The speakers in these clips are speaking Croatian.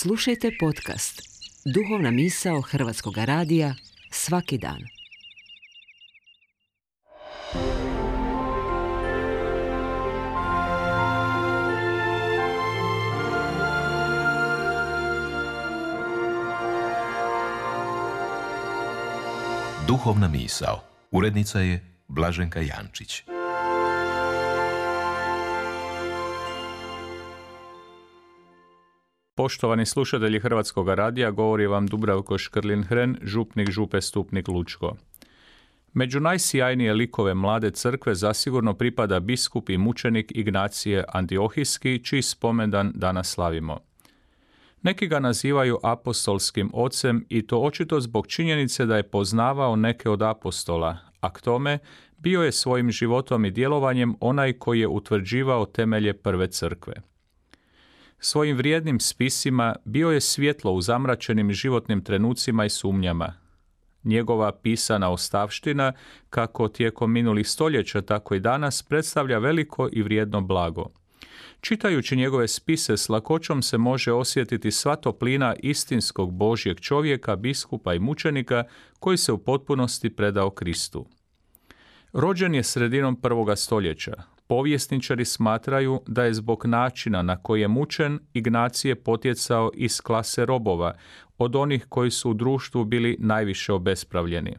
Slušajte podcast Duhovna misao Hrvatskog radija svaki dan. Duhovna misao. Urednica je Blaženka Jančić. Poštovani slušatelji Hrvatskog radija, govori vam Dubravko Škrlin-Hren, župnik Župe Stupnik Lučko. Među najsjajnije likove mlade crkve zasigurno pripada biskup i mučenik Ignacije Antiohijski, čiji spomendan danas slavimo. Neki ga nazivaju apostolskim ocem i to očito zbog činjenice da je poznavao neke od apostola, a k tome bio je svojim životom i djelovanjem onaj koji je utvrđivao temelje prve crkve. Svojim vrijednim spisima bio je svjetlo u zamračenim životnim trenucima i sumnjama. Njegova pisana ostavština, kako tijekom minulih stoljeća, tako i danas, predstavlja veliko i vrijedno blago. Čitajući njegove spise s lakoćom se može osjetiti sva toplina istinskog Božjeg čovjeka, biskupa i mučenika koji se u potpunosti predao Kristu. Rođen je sredinom 1. stoljeća. Povjesničari smatraju da je zbog načina na koji je mučen Ignacije potjecao iz klase robova, od onih koji su u društvu bili najviše obespravljeni.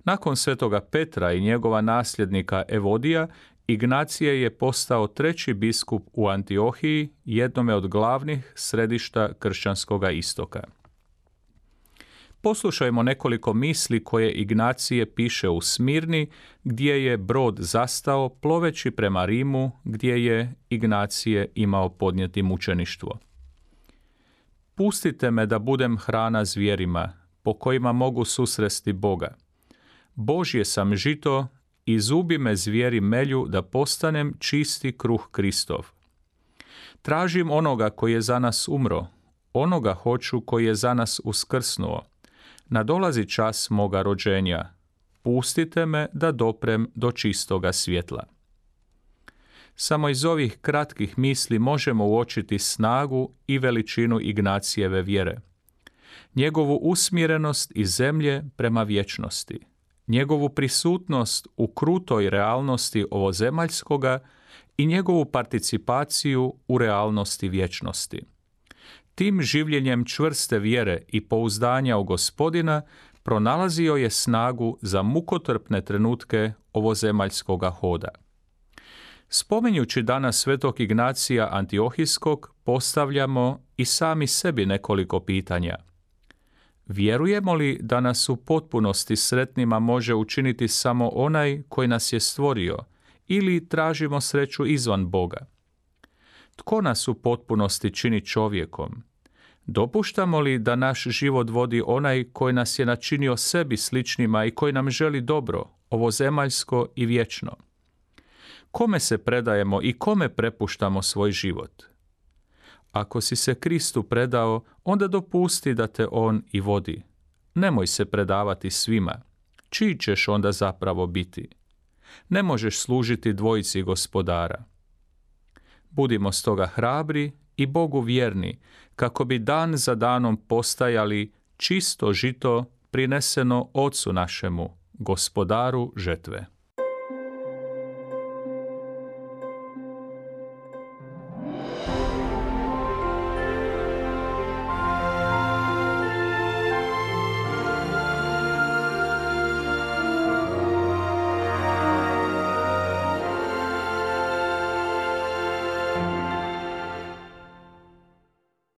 Nakon svetoga Petra i njegova nasljednika Evodija, Ignacije je postao treći biskup u Antiohiji, jednome od glavnih središta kršćanskoga istoka. Poslušajmo nekoliko misli koje Ignacije piše u Smirni, gdje je brod zastao ploveći prema Rimu, gdje je Ignacije imao podnijeti mučeništvo. Pustite me da budem hrana zvijerima, po kojima mogu susresti Boga. Božje sam žito i zubi me zvijeri melju da postanem čisti kruh Kristov. Tražim onoga koji je za nas umro, onoga hoću koji je za nas uskrsnuo. Nadolazi čas moga rođenja. Pustite me da doprem do čistoga svjetla. Samo iz ovih kratkih misli možemo uočiti snagu i veličinu Ignacijeve vjere. Njegovu usmjerenost iz zemlje prema vječnosti. Njegovu prisutnost u krutoj realnosti ovozemaljskoga i njegovu participaciju u realnosti vječnosti. Tim življenjem čvrste vjere i pouzdanja u Gospodina pronalazio je snagu za mukotrpne trenutke ovozemaljskoga hoda. Spominjući danas svetog Ignacija Antiohijskog, postavljamo i sami sebi nekoliko pitanja. Vjerujemo li da nas u potpunosti sretnima može učiniti samo onaj koji nas je stvorio, ili tražimo sreću izvan Boga? Tko nas u potpunosti čini čovjekom? Dopuštamo li da naš život vodi onaj koji nas je načinio sebi sličnima i koji nam želi dobro, ovozemaljsko i vječno? Kome se predajemo i kome prepuštamo svoj život? Ako si se Kristu predao, onda dopusti da te On i vodi. Nemoj se predavati svima. Čiji ćeš onda zapravo biti? Ne možeš služiti dvojici gospodara. Budimo stoga hrabri i Bogu vjerni, kako bi dan za danom postajali čisto žito prineseno Ocu našemu, gospodaru žetve.